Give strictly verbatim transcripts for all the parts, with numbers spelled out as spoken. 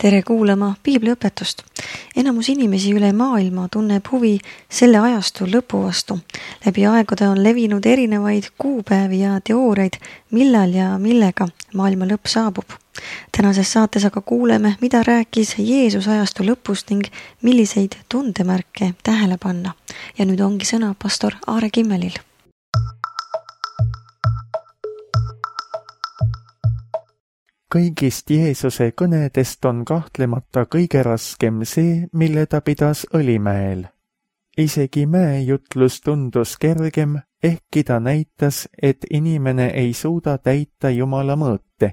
Tere kuulama piibliõpetust. Enamus inimesi üle maailma tunneb huvi selle ajastu lõpu vastu. Läbi aegade on levinud erinevaid kuupäevi ja teooriaid, millal ja millega maailma lõpp saabub. Tänases saates aga kuuleme, mida rääkis Jeesus ajastu lõpust ning milliseid tundemärke tähele panna. Ja nüüd ongi sõna pastor Aare Kimmelil. Kõigist Jeesuse kõnedest on kahtlemata kõige raskem see, mille ta pidas Õlimäel. Isegi mäejutlus tundus kergem, ehkki ta näitas, et inimene ei suuda täita Jumala mõõte.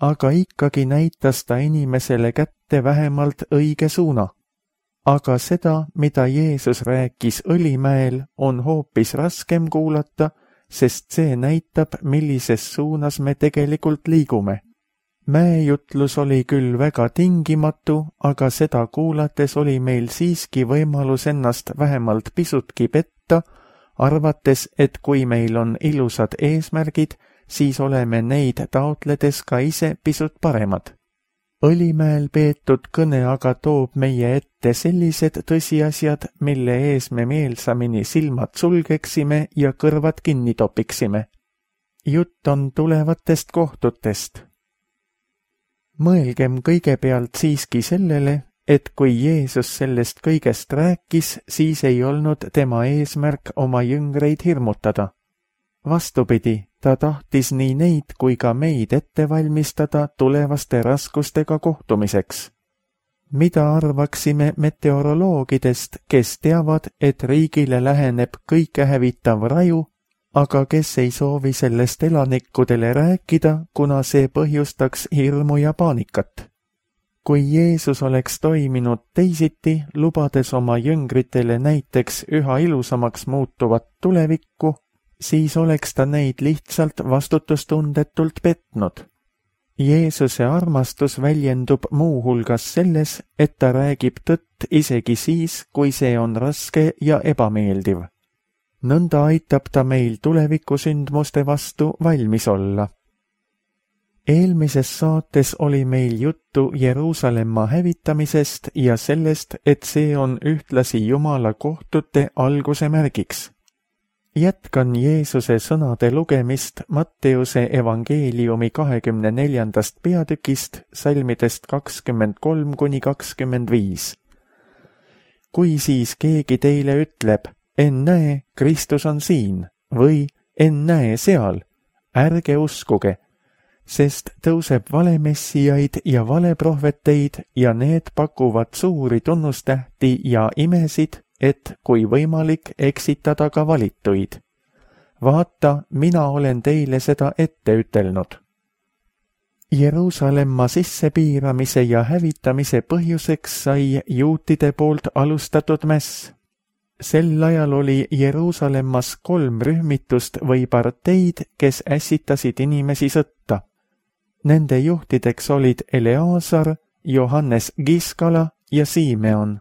Aga ikkagi näitas ta inimesele kätte vähemalt õige suuna. Aga seda, mida Jeesus rääkis Õlimäel, on hoopis raskem kuulata, sest see näitab, millises suunas me tegelikult liigume. Mäejutlus oli küll väga tingimatu, aga seda kuulates oli meil siiski võimalus ennast vähemalt pisutki petta, arvates, et kui meil on ilusad eesmärgid, siis oleme neid taotledes ka ise pisut paremad. Õlimäel peetud kõne aga toob meie ette sellised tõsiasjad, mille ees me meelsamini silmad sulgeksime ja kõrvad kinni topiksime. Jutt on tulevatest kohtutest. Mõelgem kõigepealt siiski sellele, et kui Jeesus sellest kõigest rääkis, siis ei olnud tema eesmärk oma jüngreid hirmutada. Vastupidi, ta tahtis nii neid kui ka meid ette valmistada tulevaste raskustega kohtumiseks. Mida arvaksime meteoroloogidest, kes teavad, et riigile läheneb kõike hävitav raju, aga kes ei soovi sellest elanikkudele rääkida, kuna see põhjustaks hirmu ja paanikat. Kui Jeesus oleks toiminud teisiti, lubades oma jüngritele näiteks üha ilusamaks muutuvat tulevikku, siis oleks ta neid lihtsalt vastutustundetult petnud. Jeesuse armastus väljendub muu hulgas selles, et ta räägib tõtt isegi siis, kui see on raske ja ebameeldiv. Nõnda aitab ta meil tulevikusündmuste vastu valmis olla. Eelmises saates oli meil juttu Jeruusalemma hävitamisest ja sellest, et see on ühtlasi Jumala kohtute alguse märgiks. Jätkan Jeesuse sõnade lugemist Matteuse evangeeliumi kahekümne neljandast peatükist, salmidest kakskümmend kolm kuni kakskümmend viis. Kui siis keegi teile ütleb, ennäe, Kristus on siin, või ennäe seal, ärge uskuge, sest tõuseb valemessijaid ja valeprohveteid ja need pakuvad suuri tunnustähti ja imesid, et kui võimalik eksitada ka valituid. Vaata, mina olen teile seda ette ütelnud. Jeruusalemma sissepiiramise ja hävitamise põhjuseks sai juutide poolt alustatud mäss. Sel ajal oli Jeruusalemmas kolm rühmitust või parteid, kes ässitasid inimesi sõtta. Nende juhtideks olid Eleazar, Johannes Giskala ja Simeon.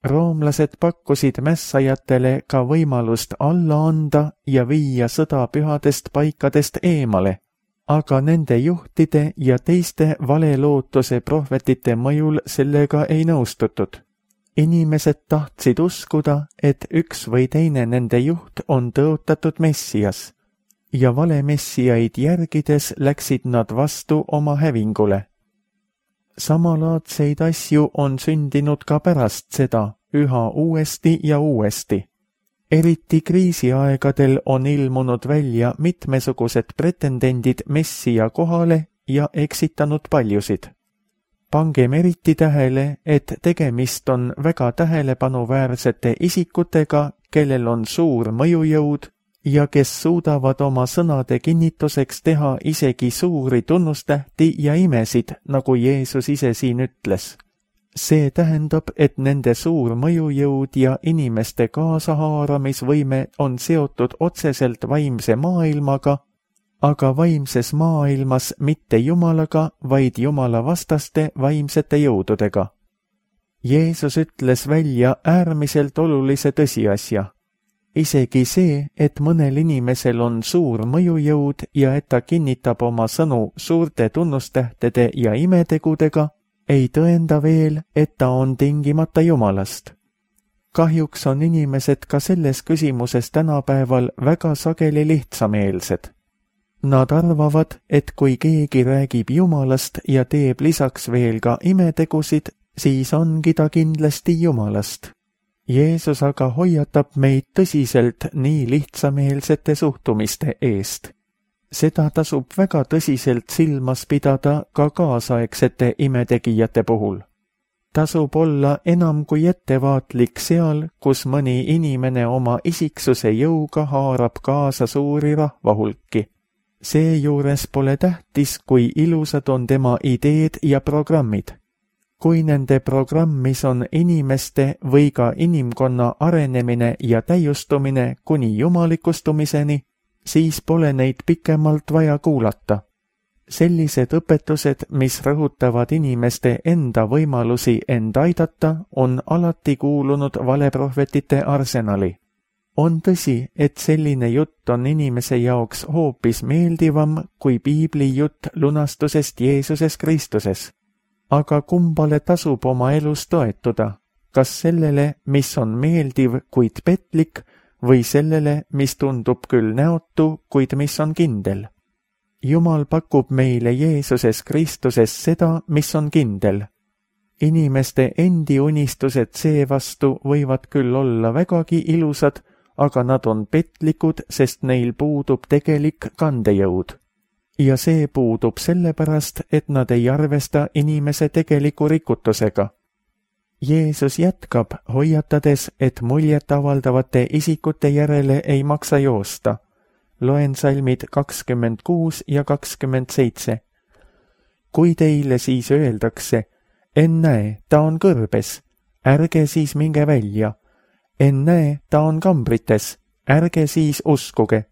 Roomlased pakkusid mässajatele ka võimalust alla anda ja viia sõda pühadest paikadest eemale, aga nende juhtide ja teiste valelootuse prohvetite mõjul sellega ei nõustutud. Inimesed tahtsid uskuda, et üks või teine nende juht on tõotatud messias, ja valemessiaid järgides läksid nad vastu oma hävingule. Samalaadseid asju on sündinud ka pärast seda, üha uuesti ja uuesti. Eriti kriisiaegadel on ilmunud välja mitmesugused pretendendid messia kohale ja eksitanud paljusid. Pangem eriti tähele, et tegemist on väga tähelepanuväärsete isikutega, kellel on suur mõjujõud ja kes suudavad oma sõnade kinnituseks teha isegi suuri tunnustähti ja imesid, nagu Jeesus ise siin ütles. See tähendab, et nende suur mõjujõud ja inimeste kaasahaaramisvõime on seotud otseselt vaimse maailmaga, aga vaimses maailmas mitte Jumalaga, vaid Jumala vastaste vaimsete jõududega. Jeesus ütles välja äärmiselt olulise tõsiasja. Isegi see, et mõnel inimesel on suur mõjujõud ja et ta kinnitab oma sõnu suurte tunnustähtede ja imetegudega, ei tõenda veel, et ta on tingimata Jumalast. Kahjuks on inimesed ka selles küsimuses tänapäeval väga sageli lihtsameelsed. Nad arvavad, et kui keegi räägib Jumalast ja teeb lisaks veel ka imetegusid, siis ongi ta kindlasti Jumalast. Jeesus aga hoiatab meid tõsiselt nii lihtsameelsete suhtumiste eest. Seda tasub väga tõsiselt silmas pidada ka kaasaegsete imetegijate puhul. Tasub olla enam kui ettevaatlik seal, kus mõni inimene oma isiksuse jõuga haarab kaasa suuri rahvahulki. Seejuures pole tähtis, kui ilusad on tema ideed ja programmid. Kui nende programmis on inimeste või ka inimkonna arenemine ja täiustumine kuni jumalikustumiseni, siis pole neid pikemalt vaja kuulata. Sellised õpetused, mis rõhutavad inimeste enda võimalusi end aidata, on alati kuulunud valeprohvetite arsenali. On tõsi, et selline jutt on inimese jaoks hoopis meeldivam kui piibli jutt lunastusest Jeesuses Kristuses. Aga kumbale tasub oma elus toetuda? Kas sellele, mis on meeldiv, kuid petlik, või sellele, mis tundub küll näotu, kuid mis on kindel? Jumal pakub meile Jeesuses Kristuses seda, mis on kindel. Inimeste endi unistused seevastu võivad küll olla vägagi ilusad, aga nad on petlikud, sest neil puudub tegelik kandejõud. Ja see puudub sellepärast, et nad ei arvesta inimese tegeliku rikutusega. Jeesus jätkab, hoiatades, et muljet avaldavate isikute järele ei maksa joosta. Loen salmid kakskümmend kuus ja kakskümmend seitse. Kui teile siis öeldakse, ennäe, ta on kõrbes, ärge siis minge välja. Ennäe, ta on kambrites, ärge siis uskuge.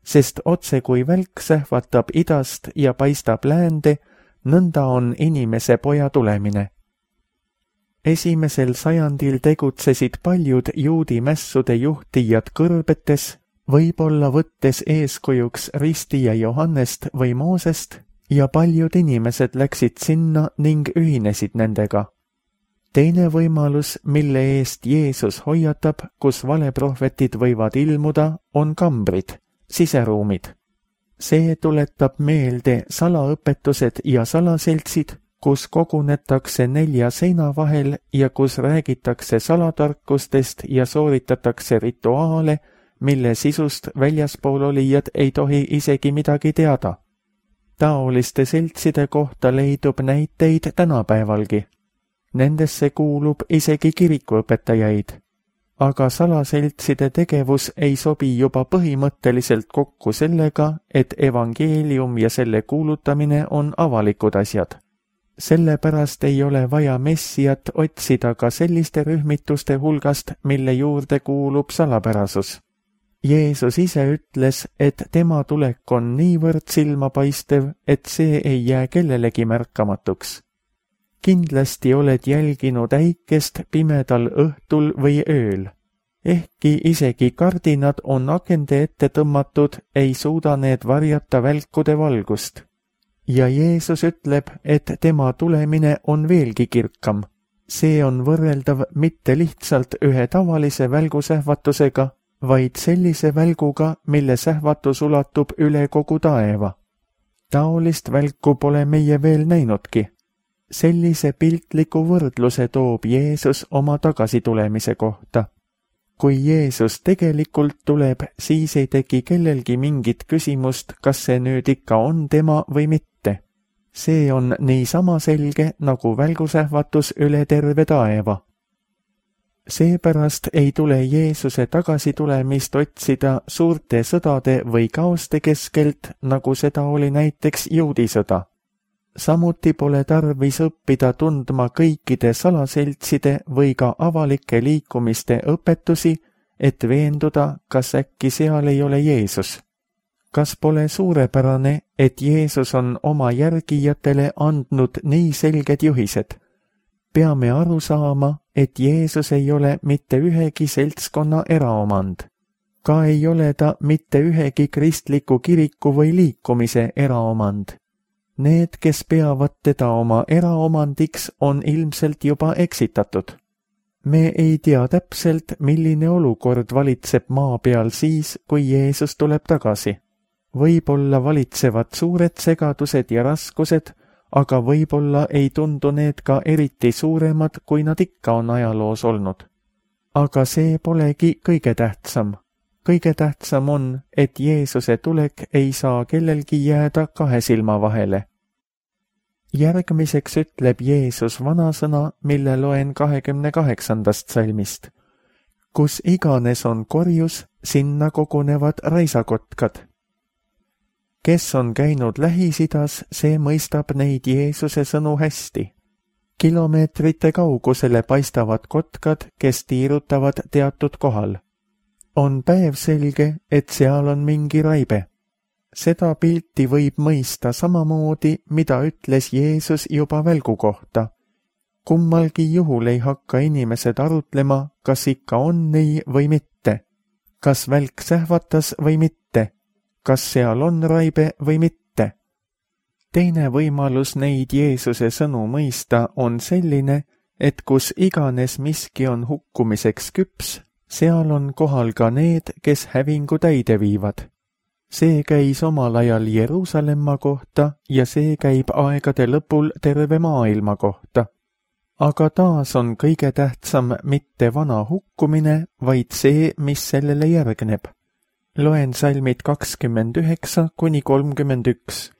Sest otse kui välk sähvatab idast ja paistab läände, nõnda on inimese poja tulemine. Esimesel sajandil tegutsesid paljud juudi mässude juhtijad kõrbetes, võib-olla võttes eeskujuks ristija Johannest või Moosest, ja paljud inimesed läksid sinna ning ühinesid nendega. Teine võimalus, mille eest Jeesus hoiatab, kus valeprohvetid võivad ilmuda, on kambrid, siseruumid. See tuletab meelde salaõpetused ja salaseltsid, kus kogunetakse nelja seina vahel ja kus räägitakse salatarkustest ja sooritatakse rituaale, mille sisust väljaspool olijad ei tohi isegi midagi teada. Taoliste seltside kohta leidub näiteid tänapäevalgi. Nendesse kuulub isegi kirikuõpetajaid. Aga salaseltside tegevus ei sobi juba põhimõtteliselt kokku sellega, et evangeelium ja selle kuulutamine on avalikud asjad. Sellepärast ei ole vaja messiat otsida ka selliste rühmituste hulgast, mille juurde kuulub salapärasus. Jeesus ise ütles, et tema tulek on niivõrd silmapaistev, et see ei jää kellelegi märkamatuks. Kindlasti oled jälginud äikest pimedal õhtul või ööl. Ehkki isegi kardinad on akende ette tõmmatud, ei suuda need varjata välkude valgust. Ja Jeesus ütleb, et tema tulemine on veelgi kirkam. See on võrreldav mitte lihtsalt ühe tavalise välgusähvatusega, vaid sellise välguga, mille sähvatus ulatub üle kogu taeva. Taolist välku pole meie veel näinudki. Sellise piltliku võrdluse toob Jeesus oma tagasitulemise kohta. Kui Jeesus tegelikult tuleb, siis ei teki kellelgi mingit küsimust, kas see nüüd ikka on tema või mitte. See on niisama selge nagu välgusähvatus üle terve taeva. Seepärast ei tule Jeesuse tagasitulemist otsida suurte sõdade või kaoste keskelt, nagu seda oli näiteks juudisõda. Samuti pole tarvis õppida tundma kõikide salaseltside või ka avalike liikumiste õpetusi, et veenduda, kas äkki seal ei ole Jeesus. Kas pole suurepärane, et Jeesus on oma järgijatele andnud nii selged juhised? Peame aru saama, et Jeesus ei ole mitte ühegi seltskonna eraomand. Ka ei ole ta mitte ühegi kristliku kiriku või liikumise eraomand. Need, kes peavad teda oma eraomandiks, on ilmselt juba eksitatud. Me ei tea täpselt, milline olukord valitseb maa peal siis, kui Jeesus tuleb tagasi. Võib-olla valitsevad suured segadused ja raskused, aga võib-olla ei tundu need ka eriti suuremad, kui nad ikka on ajaloos olnud. Aga see polegi kõige tähtsam. Kõige tähtsam on, et Jeesuse tulek ei saa kellelgi jääda kahe silma vahele. Järgmiseks ütleb Jeesus vanasõna, mille loen kahekümne kaheksandast salmist. Kus iganes on korjus, sinna kogunevad raisakotkad. Kes on käinud Lähis-Idas, see mõistab neid Jeesuse sõnu hästi. Kilomeetrite kaugusele paistavad kotkad, kes tiirutavad teatud kohal. On päevselge, et seal on mingi raibe. Seda pilti võib mõista samamoodi, mida ütles Jeesus juba välgu kohta. Kummalgi juhul ei hakka inimesed arutlema, kas ikka on nii või mitte. Kas välk sähvatas või mitte. Kas seal on raibe või mitte. Teine võimalus neid Jeesuse sõnu mõista on selline, et kus iganes miski on hukkumiseks küps, seal on kohal ka need, kes hävingu täide viivad. See käis omal ajal Jeruusalemma kohta ja see käib aegade lõpul terve maailma kohta. Aga taas on kõige tähtsam mitte vana hukkumine, vaid see, mis sellele järgneb. Loen salmid kakskümmend üheksa kuni kolmkümmend üks.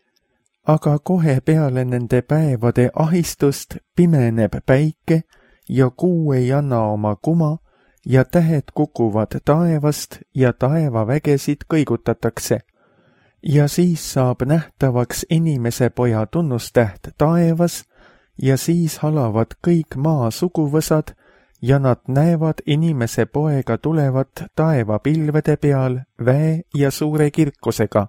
Aga kohe peale nende päevade ahistust pimeneb päike ja kuu ei anna oma kuma ja tähed kukuvad taevast ja taevavägesid kõigutatakse. Ja siis saab nähtavaks inimese poja tunnustäht taevas ja siis halavad kõik maa suguvõsad ja nad näevad inimese poega tulevat taevapilvede peal väe ja suure kirkusega.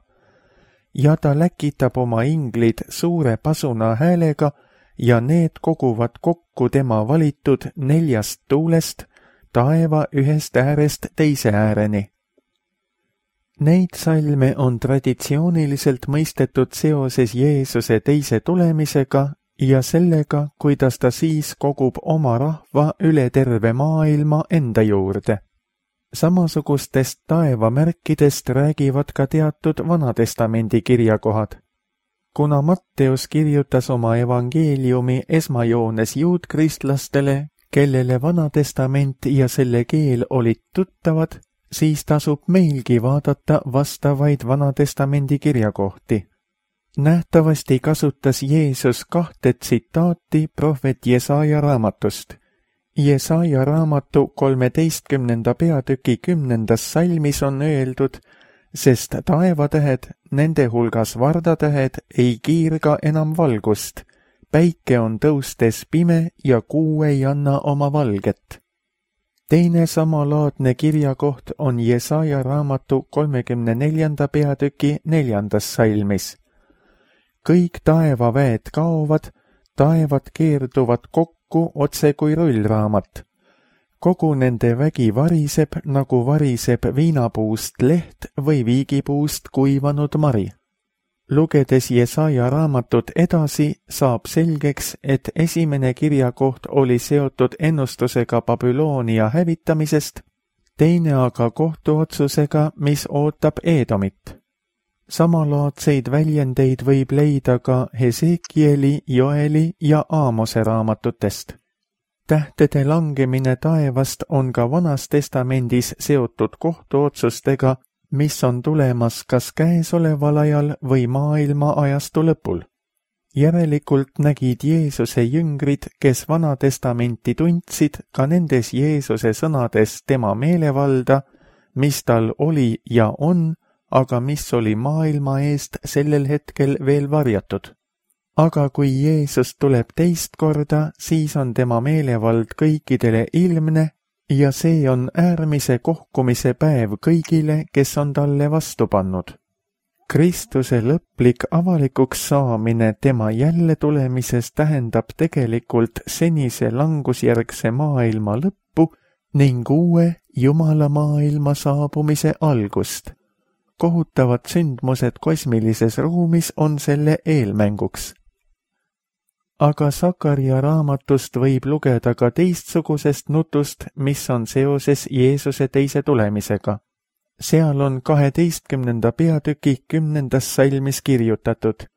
Ja ta läkitab oma inglid suure pasuna häälega ja need koguvad kokku tema valitud neljast tuulest taeva ühest äärest teise ääreni. Neid salme on traditsiooniliselt mõistetud seoses Jeesuse teise tulemisega ja sellega, kuidas ta siis kogub oma rahva üle terve maailma enda juurde. Samasugustest taevamärkidest räägivad ka teatud Vanatestamendi kirjakohad. Kuna Matteus kirjutas oma evangeeliumi esmajoones juudkristlastele, kellele Vanatestament ja selle keel olid tuttavad, siis tasub meilgi vaadata vastavaid Vanatestamendi kirjakohti. Nähtavasti kasutas Jeesus kahte tsitaati prohvet Jesaja raamatust. Jesaja raamatu kolmeteistkümnenda peatüki kümnendas salmis on öeldud, sest taevatähed, nende hulgas vardatähed, ei kiirga enam valgust. Päike on tõustes pime ja kuu ei anna oma valget. Teine samalaadne kirjakoht on Jesaja raamatu kolmekümne neljanda peatüki neljandas salmis. Kõik taevaväed kaovad, taevad keerduvad kokku otse kui rullraamat. Kogu nende vägi variseb, nagu variseb viinapuust leht või viigipuust kuivanud mari. Lugedes Jesaja raamatut edasi, saab selgeks, et esimene kirjakoht oli seotud ennustusega Babyloonia hävitamisest, teine aga kohtuotsusega, mis ootab Eedomit. Samalaadseid väljendeid võib leida ka Hesekieli, Joeli ja Aamose raamatutest. Tähtede langemine taevast on ka Vanas Testamendis seotud kohtuotsustega, mis on tulemas kas käesoleval ajal või maailma ajastu lõpul. Järelikult nägid Jeesuse jüngrid, kes Vana Testamenti tundsid, ka nendes Jeesuse sõnades tema meelevalda, mis tal oli ja on, aga mis oli maailma eest sellel hetkel veel varjatud. Aga kui Jeesus tuleb teist korda, siis on tema meelevald kõikidele ilmne ja see on äärmise kohkumise päev kõigile, kes on talle vastu pannud. Kristuse lõplik avalikuks saamine tema jälle tulemises tähendab tegelikult senise langusjärgse maailma lõppu ning uue Jumala maailma saabumise algust. kohutavad sündmused kosmilises ruumis on selle eelmänguks. Aga Sakaria raamatust võib lugeda ka teistsugusest nutust, mis on seoses Jeesuse teise tulemisega. Seal on kaheteistkümnenda peatüki kümnendas salmis kirjutatud: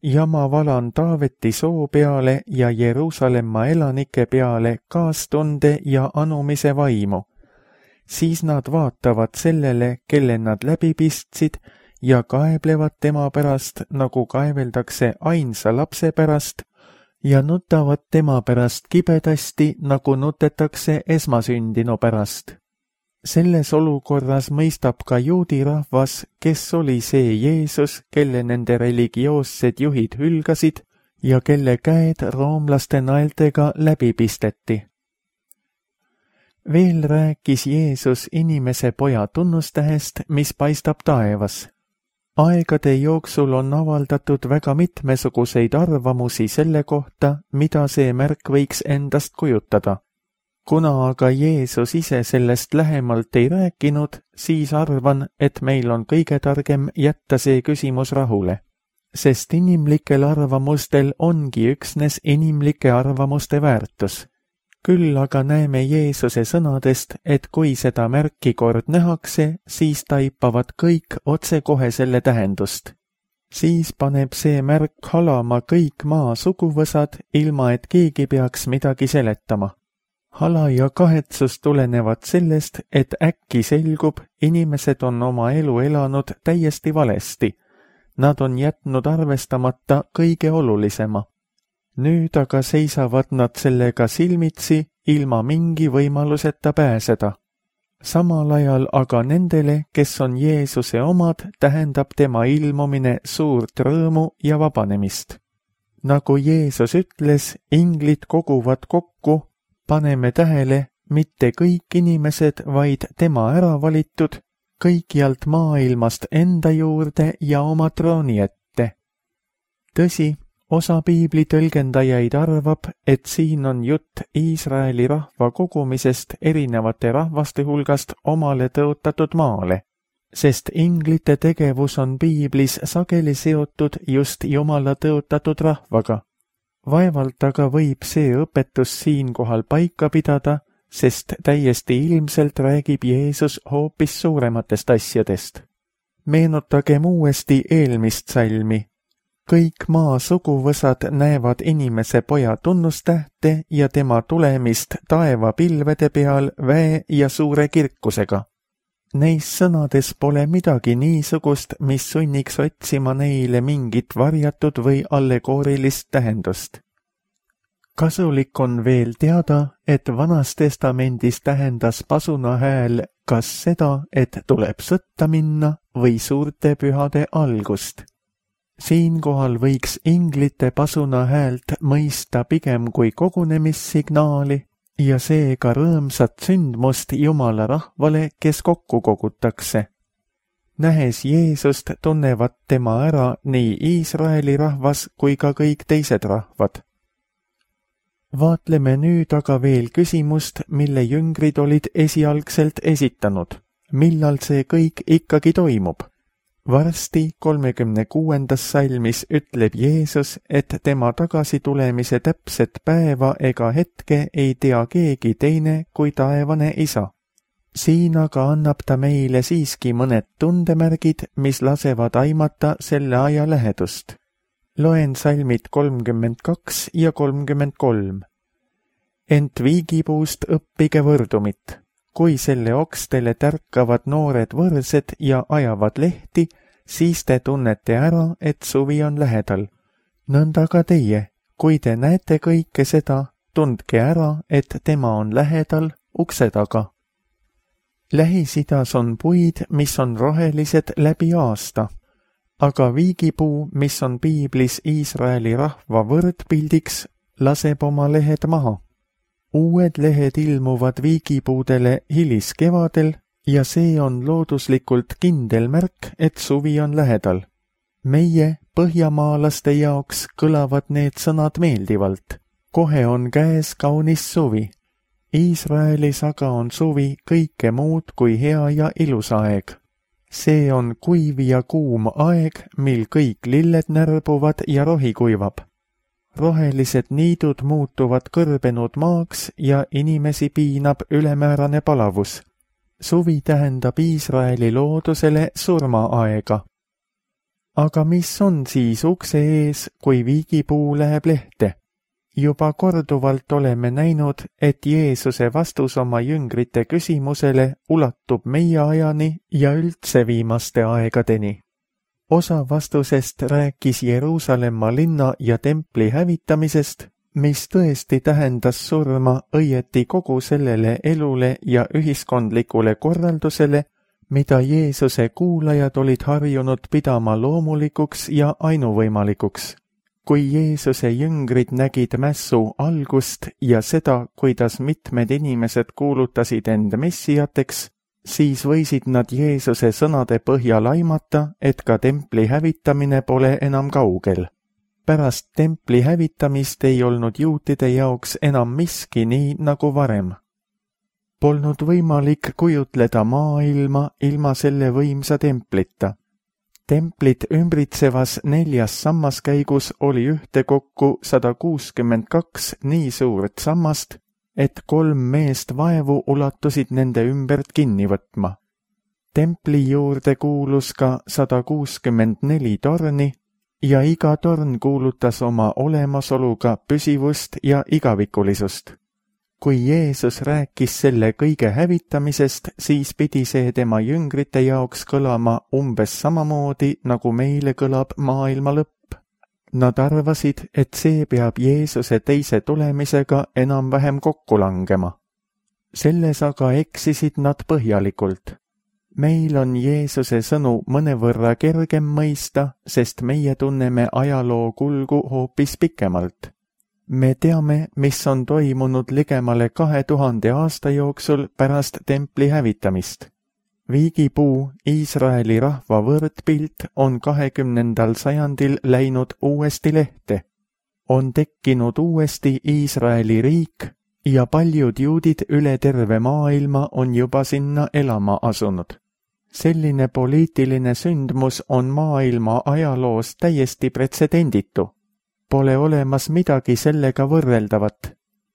ja ma valan Taaveti soo peale ja Jeruusalemma elanike peale kaastunde ja anumise vaimu. Siis nad vaatavad sellele, kelle nad läbi pistsid, ja kaeblevad tema pärast, nagu kaeveldakse ainsa lapse pärast, ja nutavad tema pärast kibedasti, nagu nutetakse esmasündinu pärast. Selles olukorras mõistab ka juudi rahvas, kes oli see Jeesus, kelle nende religioossed juhid hülgasid ja kelle käed roomlaste naeltega läbi pisteti. Veel rääkis Jeesus inimese poja tunnustähest, mis paistab taevas. Aegade jooksul on avaldatud väga mitmesuguseid arvamusi selle kohta, mida see märk võiks endast kujutada. Kuna aga Jeesus ise sellest lähemalt ei rääkinud, siis arvan, et meil on kõige targem jätta see küsimus rahule. Sest inimlikel arvamustel ongi üksnes inimlike arvamuste väärtus. Küll aga näeme Jeesuse sõnadest, et kui seda märki kord nähakse, siis taipavad kõik otsekohe selle tähendust. Siis paneb see märk halama kõik maa suguvõsad, ilma et keegi peaks midagi seletama. Hala ja kahetsus tulenevad sellest, et äkki selgub, inimesed on oma elu elanud täiesti valesti. Nad on jätnud arvestamata kõige olulisema. Nüüd aga seisavad nad sellega silmitsi, ilma mingi võimaluseta pääseda. Samal ajal aga nendele, kes on Jeesuse omad, tähendab tema ilmumine suurt rõõmu ja vabanemist. Nagu Jeesus ütles, inglid koguvad kokku, paneme tähele, mitte kõik inimesed, vaid tema äravalitud, kõikjalt maailmast enda juurde ja oma trooni ette. Tõsi, osa piibli tõlgendajaid arvab, et siin on jutt Iisraeli rahva kogumisest erinevate rahvaste hulgast omale tõotatud maale, sest inglite tegevus on piiblis sageli seotud just Jumala tõotatud rahvaga. Vaevalt aga võib see õpetus siinkohal paika pidada, sest täiesti ilmselt räägib Jeesus hoopis suurematest asjadest. Meenutagem uuesti eelmist salmi. Kõik maa suguvõsad näevad inimese poja tunnustähte ja tema tulemist taeva pilvede peal väe ja suure kirkusega. Neis sõnades pole midagi niisugust, mis sunniks otsima neile mingit varjatud või allegoorilist tähendust. Kasulik on veel teada, et Vanas Testamendis tähendas pasuna hääl kas seda, et tuleb sõtta minna või suurte pühade algust. Siinkohal võiks inglite pasuna häält mõista pigem kui kogunemissignaali, ja seega rõõmsat sündmust Jumala rahvale, kes kokku kogutakse. Nähes Jeesust tunnevad tema ära nii Iisraeli rahvas kui ka kõik teised rahvad. Vaatleme nüüd aga veel küsimust, mille jüngrid olid esialgselt esitanud. Millal see kõik ikkagi toimub? Varsti kolmekümne kuuendas salmis ütleb Jeesus, et tema tagasitulemise täpset päeva ega hetke ei tea keegi teine kui taevane Isa. Siin aga annab ta meile siiski mõned tundemärgid, mis lasevad aimata selle aja lähedust. Loen salmid kolmkümmend kaks ja kolmkümmend kolm. Ent viigipuust õppige võrdumit. Kui selle okstele tärkavad noored võrsed ja ajavad lehti, siis te tunnete ära, et suvi on lähedal. Nõnda ka teie, kui te näete kõike seda, tundke ära, et tema on lähedal ukse taga. Lähis-Idas on puid, mis on rohelised läbi aasta, aga viigipuu, mis on piiblis Iisraeli rahva võrdpildiks, laseb oma lehed maha. Uued lehed ilmuvad viigipuudele hiliskevadel ja see on looduslikult kindel märk, et suvi on lähedal. Meie, põhjamaalaste jaoks, kõlavad need sõnad meeldivalt. Kohe on käes kaunis suvi. Iisraelis aga on suvi kõike muud kui hea ja ilus aeg. See on kuiv ja kuum aeg, mil kõik lilled närbuvad ja rohi kuivab. Rohelised niidud muutuvad kõrbenud maaks ja inimesi piinab ülemäärane palavus. Suvi tähendab Iisraeli loodusele surmaaega. Aga mis on siis ukse ees, kui viigipuu läheb lehte? Juba korduvalt oleme näinud, et Jeesuse vastus oma jüngrite küsimusele ulatub meie ajani ja üldse viimaste aegadeni. Osa vastusest rääkis Jeruusalemma linna ja templi hävitamisest, mis tõesti tähendas surma õieti kogu sellele elule ja ühiskondlikule korraldusele, mida Jeesuse kuulajad olid harjunud pidama loomulikuks ja ainuvõimalikuks. Kui Jeesuse jüngrid nägid mässu algust ja seda, kuidas mitmed inimesed kuulutasid end messiateks, siis võisid nad Jeesuse sõnade põhjal aimata, et ka templi hävitamine pole enam kaugel. Pärast templi hävitamist ei olnud juutide jaoks enam miski nii nagu varem. Polnud võimalik kujutleda maailma ilma selle võimsa templita. Templit ümbritsevas neljas sammaskäigus oli ühtekokku sada kuuskümmend kaks nii suurt sammast, et kolm meest vaevu ulatusid nende ümbert kinni võtma. Templi juurde kuulus ka sada kuuskümmend neli torni ja iga torn kuulutas oma olemasoluga püsivust ja igavikulisust. Kui Jeesus rääkis selle kõige hävitamisest, siis pidi see tema jüngrite jaoks kõlama umbes samamoodi, nagu meile kõlab maailma lõpp. Nad arvasid, et see peab Jeesuse teise tulemisega enam-vähem kokku langema. Selles aga eksisid nad põhjalikult. Meil on Jeesuse sõnu mõnevõrra kergem mõista, sest meie tunneme ajaloo kulgu hoopis pikemalt. Me teame, mis on toimunud ligemale kahe tuhande aasta jooksul pärast templi hävitamist. Viigipuu, Iisraeli rahva võrdpilt, on kahekümnendal sajandil läinud uuesti lehte. On tekkinud uuesti Iisraeli riik ja paljud juudid üle terve maailma on juba sinna elama asunud. Selline poliitiline sündmus on maailma ajaloos täiesti pretsedenditu. Pole olemas midagi sellega võrreldavat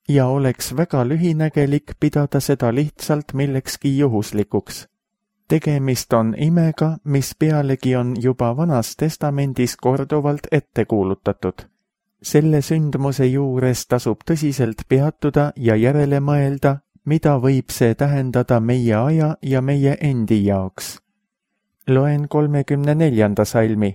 ja oleks väga lühinägelik pidada seda lihtsalt millekski juhuslikuks. Tegemist on imega, mis pealegi on juba Vanas Testamendis korduvalt ette kuulutatud. Selle sündmuse juures tasub tõsiselt peatuda ja järele mõelda, mida võib see tähendada meie aja ja meie endi jaoks. Loen kolmekümne neljanda salmi.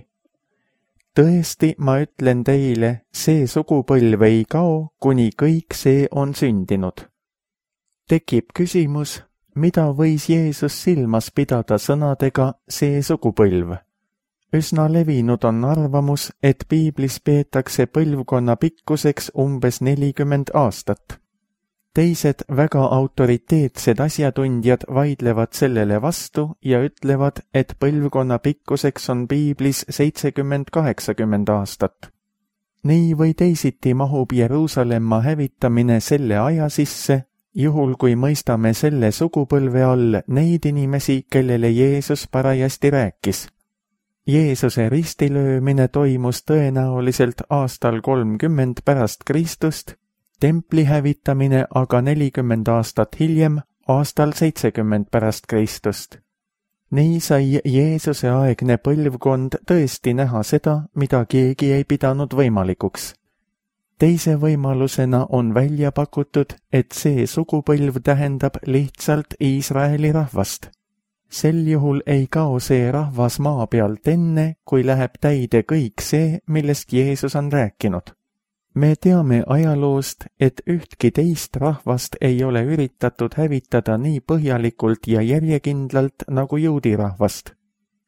Tõesti, ma ütlen teile, see sugupõlv ei kao, kuni kõik see on sündinud. Tekib küsimus, mida võis Jeesus silmas pidada sõnadega see sugupõlv? Üsna levinud on arvamus, et piiblis peetakse põlvkonna pikkuseks umbes nelikümmend aastat. Teised väga autoriteetsed asjatundjad vaidlevad sellele vastu ja ütlevad, et põlvkonna pikkuseks on piiblis seitsekümmend kaheksakümmend aastat. Nii või teisiti mahub Jeruusalemma hävitamine selle aja sisse, juhul kui mõistame selle sugupõlve all neid inimesi, kellele Jeesus parajasti rääkis. Jeesuse ristilöömine toimus tõenäoliselt aastal kolmkümmend pärast Kristust, templi hävitamine aga nelikümmend aastat hiljem, aastal seitsekümmend pärast Kristust. Nii sai Jeesuse aegne põlvkond tõesti näha seda, mida keegi ei pidanud võimalikuks. Teise võimalusena on välja pakutud, et see sugupõlv tähendab lihtsalt Iisraeli rahvast. Sel juhul ei kao see rahvas maa pealt enne, kui läheb täide kõik see, millest Jeesus on rääkinud. Me teame ajaloost, et ühtki teist rahvast ei ole üritatud hävitada nii põhjalikult ja järjekindlalt nagu juudi rahvast.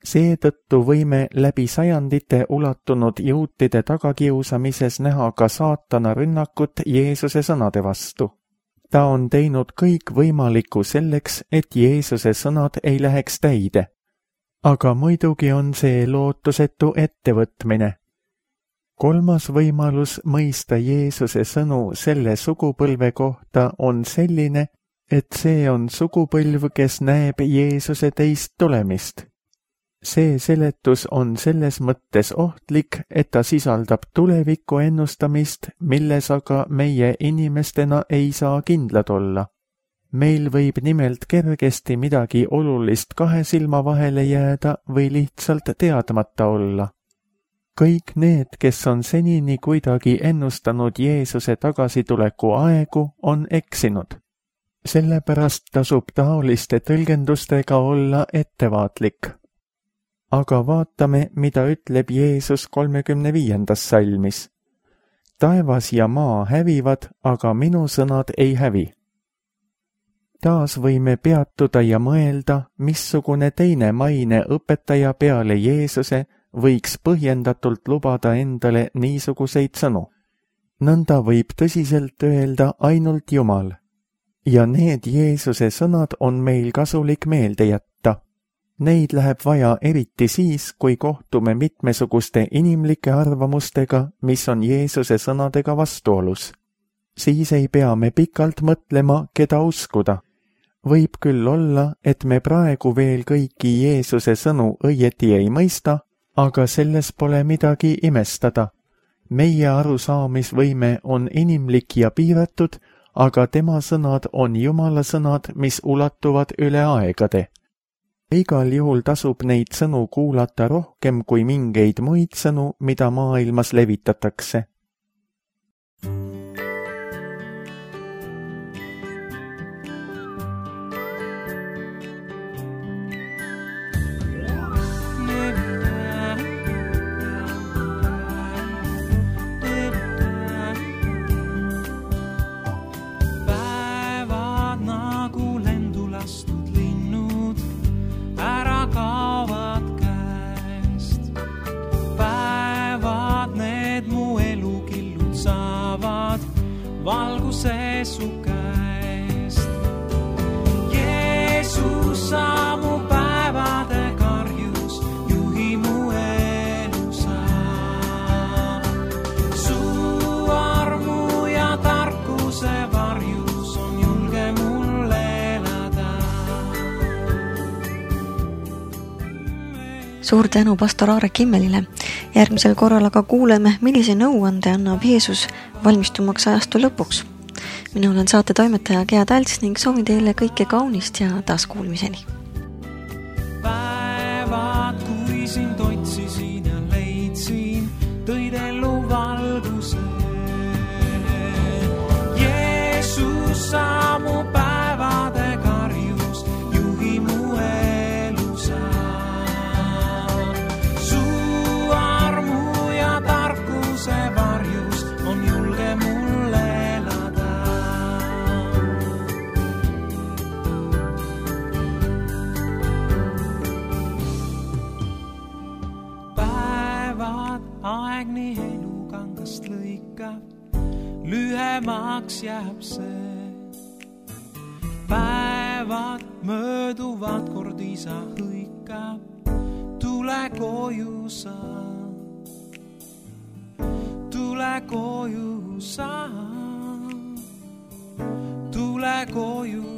Seetõttu võime läbi sajandite ulatunud juutide tagakiusamises näha ka saatana rünnakut Jeesuse sõnade vastu. Ta on teinud kõik võimalikku selleks, et Jeesuse sõnad ei läheks täide. Aga muidugi on see lootusetu ettevõtmine. Kolmas võimalus mõista Jeesuse sõnu selle sugupõlve kohta on selline, et see on sugupõlv, kes näeb Jeesuse teist tulemist. see seletus on selles mõttes ohtlik, et ta sisaldab tuleviku ennustamist, milles aga meie inimestena ei saa kindlad olla. Meil võib nimelt kergesti midagi olulist kahe silma vahele jääda või lihtsalt teadmata olla. Kõik need, kes on senini kuidagi ennustanud Jeesuse tagasituleku aegu, on eksinud. Sellepärast tasub taoliste tõlgendustega olla ettevaatlik. Aga vaatame, mida ütleb Jeesus kolmekümne viiendas salmis. Taevas ja maa hävivad, aga minu sõnad ei hävi. Taas võime peatuda ja mõelda, missugune teine maine õpetaja peale Jeesuse võiks põhjendatult lubada endale niisuguseid sõnu. Nõnda võib tõsiselt öelda ainult Jumal. Ja need Jeesuse sõnad on meil kasulik meelde jätta. Neid läheb vaja eriti siis, kui kohtume mitmesuguste inimlike arvamustega, mis on Jeesuse sõnadega vastuolus. Siis ei pea me pikalt mõtlema, keda uskuda. Võib küll olla, et me praegu veel kõiki Jeesuse sõnu õieti ei mõista, aga selles pole midagi imestada. Meie arusaamisvõime on inimlik ja piiratud, aga tema sõnad on Jumala sõnad, mis ulatuvad üle aegade. Igal juhul tasub neid sõnu kuulata rohkem kui mingeid muid sõnu, mida maailmas levitatakse. Valguse su käest. Jeesus sa mu päevade karjus, juhi mu elu sa. Su armu ja tarkuse varjus on julge mul elada. Suur tänu pastor Aare Kimmelile. Järgmisel korral aga kuuleme, millise nõuande annab Jeesus valmistumaks ajastu lõpuks. Mina olen saate toimetaja Gea Talts ning soovin teile kõike kaunist ja taaskuulmiseni. Päevad, kui sind otsisin ja leidsin, tõid ellu valguse. Jeesus sa mu päevade karjus, juhi mu elu sa. Su armu ja tarkuse varjus on julge mul elada. Päevad aeg nii elukangast lõikab, lühemaks jääb see. Päevad mööduvad, kord isa hõikab, tule koju sa. Tule koju sa, tule koju